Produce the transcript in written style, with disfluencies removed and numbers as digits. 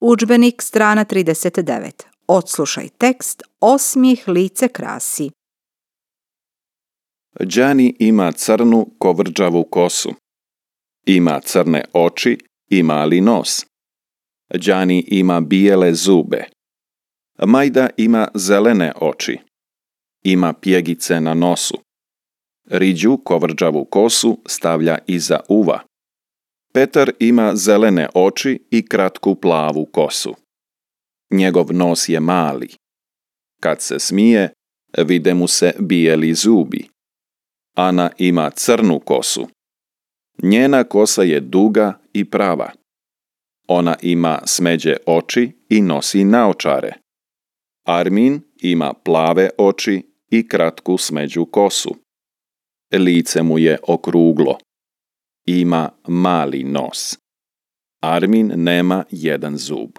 Udžbenik, strana 39. Odslušaj tekst, osmijeh lice krasi. Đani ima crnu kovrđavu kosu. Ima crne oči i mali nos. Đani ima bijele zube. Majda ima zelene oči. Ima pjegice na nosu. Riđu kovrđavu kosu stavlja iza uva. Petar ima zelene oči i kratku plavu kosu. Njegov nos je mali. Kad se smije, vide mu se bijeli zubi. Ana ima crnu kosu. Njena kosa je duga i prava. Ona ima smeđe oči i nosi naočare. Armin ima plave oči i kratku smeđu kosu. Lice mu je okruglo. Ima mali nos. Armin nema jedan zub.